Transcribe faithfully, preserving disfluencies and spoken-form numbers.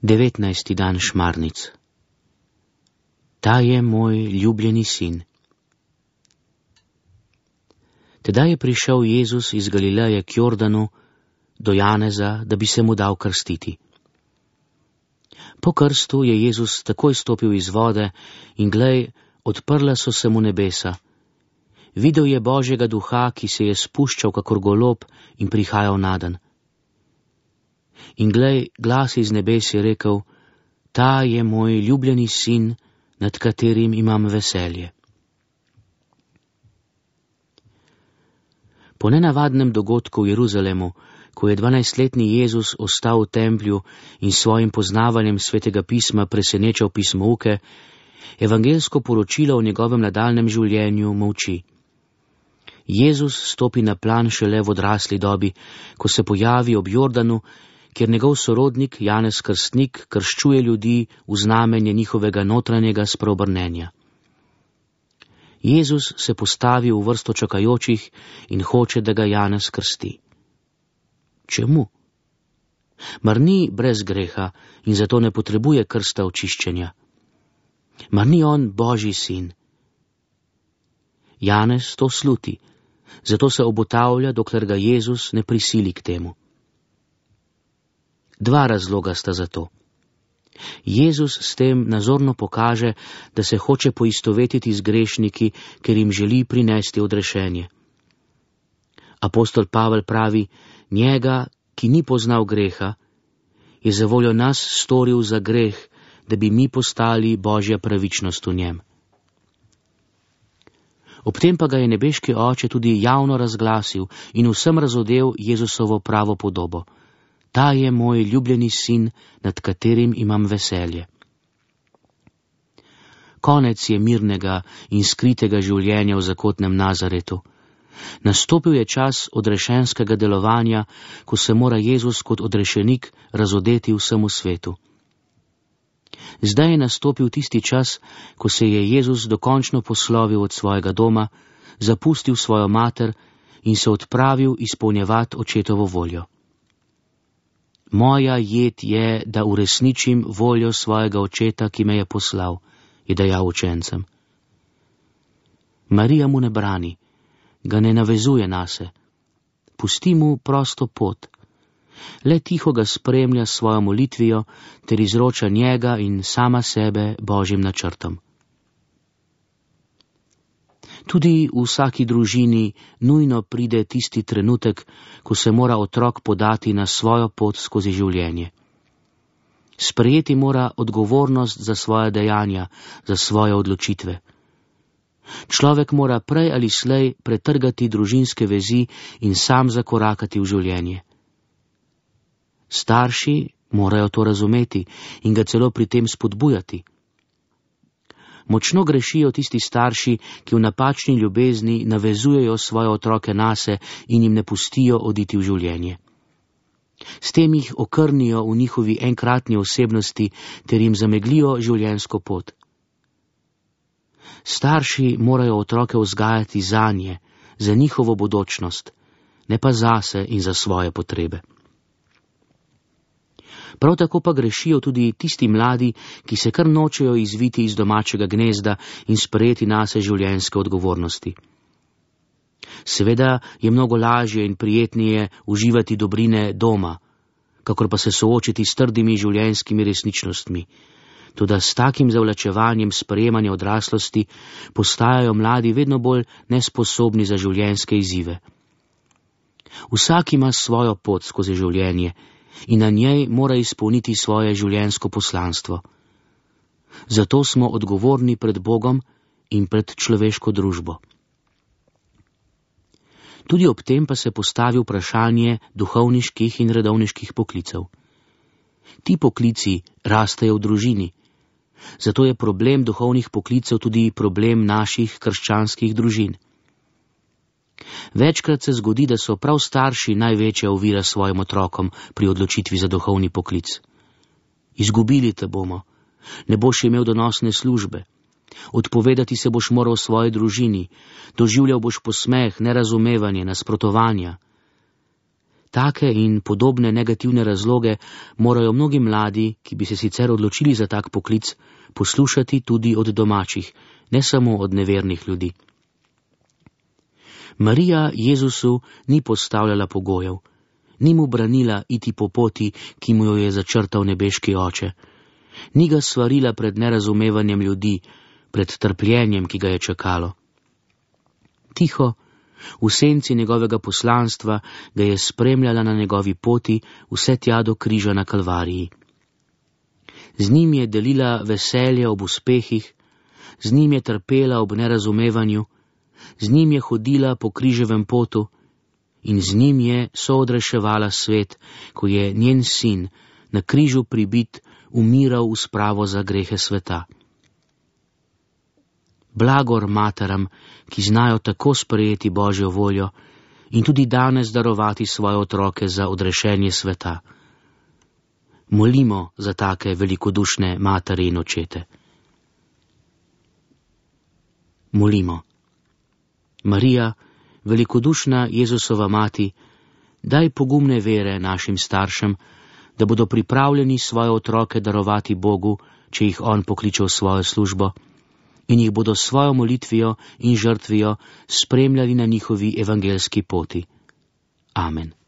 devetnajsti dan šmarnic. Ta je moj ljubljeni sin. Tedaj je prišel Jezus iz Galileje k Jordanu do Janeza, da bi se mu dal krstiti. Po krstu je Jezus takoj stopil iz vode in glej, odprla so se mu nebesa. Videl je Božjega duha, ki se je spuščal kakor golob in prihajal naden. In glej, glas iz nebes je rekel: Ta je moj ljubljeni sin, nad katerim imam veselje. Po nenavadnem dogodku v Jeruzalemu, ko je dvanajstletni Jezus ostal v templju in s svojim poznavanjem svetega pisma presenečal pismouke, evangelsko poročilo o njegovem nadaljnjem življenju molči. Jezus stopi na plan šele v odrasli dobi, ko se pojavi ob Jordanu, kjer njegov sorodnik Janez Krstnik krščuje ljudi v znamenje njihovega notranjega spreobrnenja. Jezus se postavi v vrsto čakajočih in hoče, da ga Janez krsti. Čemu? Mar ni brez greha in zato ne potrebuje krsta očiščenja? Mar ni on Božji sin? Janez to sluti, zato se obotavlja, dokler ga Jezus ne prisili k temu. Dva razloga sta za to. Jezus s tem nazorno pokaže, da se hoče poistovetiti z grešniki, ker jim želi prinesti odrešenje. Apostol Pavel pravi: njega, ki ni poznal greha, je za voljo nas storil za greh, da bi mi postali Božja pravičnost v njem. Ob tem pa ga je nebeški Oče tudi javno razglasil in vsem razodel Jezusovo pravo podobo. Ta je moj ljubljeni sin, nad katerim imam veselje. Konec je mirnega in skritega življenja v zakotnem Nazaretu. Nastopil je čas odrešenskega delovanja, ko se mora Jezus kot odrešenik razodeti vsemu svetu. Zdaj je nastopil tisti čas, ko se je Jezus dokončno poslovil od svojega doma, zapustil svojo mater in se odpravil izpolnjevati očetovo voljo. Moja jed je, da uresničim voljo svojega očeta, ki me je poslal, je dejal učencem. Marija mu ne brani, ga ne navezuje nase. Pusti mu prosto pot. Le tiho ga spremlja s svojo molitvijo ter izroča njega in sama sebe Božjim načrtom. Tudi v vsaki družini nujno pride tisti trenutek, ko se mora otrok podati na svojo pot skozi življenje. Sprejeti mora odgovornost za svoje dejanja, za svoje odločitve. Človek mora prej ali slej pretrgati družinske vezi in sam zakorakati v življenje. Starši morajo to razumeti in ga celo pri tem spodbujati. Močno grešijo tisti starši, ki v napačni ljubezni navezujejo svoje otroke nase in jim ne pustijo oditi v življenje. S tem jih okrnijo v njihovi enkratni osebnosti ter jim zameglijo življenjsko pot. Starši morajo otroke vzgajati zanje, za njihovo bodočnost, ne pa zase in za svoje potrebe. Prav tako pa grešijo tudi tisti mladi, ki se kar nočejo izviti iz domačega gnezda in sprejeti nase življenjske odgovornosti. Seveda je mnogo lažje in prijetnije uživati dobrine doma, kakor pa se soočiti s trdimi življenjskimi resničnostmi. Toda s takim zavlačevanjem sprejemanja odraslosti postajajo mladi vedno bolj nesposobni za življenjske izzive. Vsak ima svojo pot skozi življenje in na njej mora izpolniti svoje življenjsko poslanstvo. Zato smo odgovorni pred Bogom in pred človeško družbo. Tudi ob tem pa se postavi vprašanje duhovniških in redovniških poklicev. Ti poklici rastejo v družini, zato je problem duhovnih poklicev tudi problem naših krščanskih družin. Večkrat se zgodi, da so prav starši največja ovira svojim otrokom pri odločitvi za duhovni poklic. Izgubili te bomo, ne boš imel donosne službe, odpovedati se boš moral svoji družini, doživljal boš posmeh, nerazumevanje, nasprotovanja. Take in podobne negativne razloge morajo mnogi mladi, ki bi se sicer odločili za tak poklic, poslušati tudi od domačih, ne samo od nevernih ljudi. Marija Jezusu ni postavljala pogojev, ni mu branila iti po poti, ki mu jo je začrtal nebeški oče, ni ga svarila pred nerazumevanjem ljudi, pred trpljenjem, ki ga je čakalo. Tiho, v senci njegovega poslanstva, ga je spremljala na njegovi poti vse tja do križa na Kalvariji. Z njim je delila veselje ob uspehih, z njim je trpela ob nerazumevanju, z njim je hodila po križevem potu in z njim je soodreševala svet, ko je njen sin na križu pribit umiral v spravo za grehe sveta. Blagor materam, ki znajo tako sprejeti Božjo voljo in tudi danes darovati svoje otroke za odrešenje sveta. Molimo za take velikodušne matere in očete. Molimo. Marija, velikodušna Jezusova mati, daj pogumne vere našim staršem, da bodo pripravljeni svoje otroke darovati Bogu, če jih On pokliče v svojo službo, in jih bodo s svojo molitvijo in žrtvijo spremljali na njihovi evangelski poti. Amen.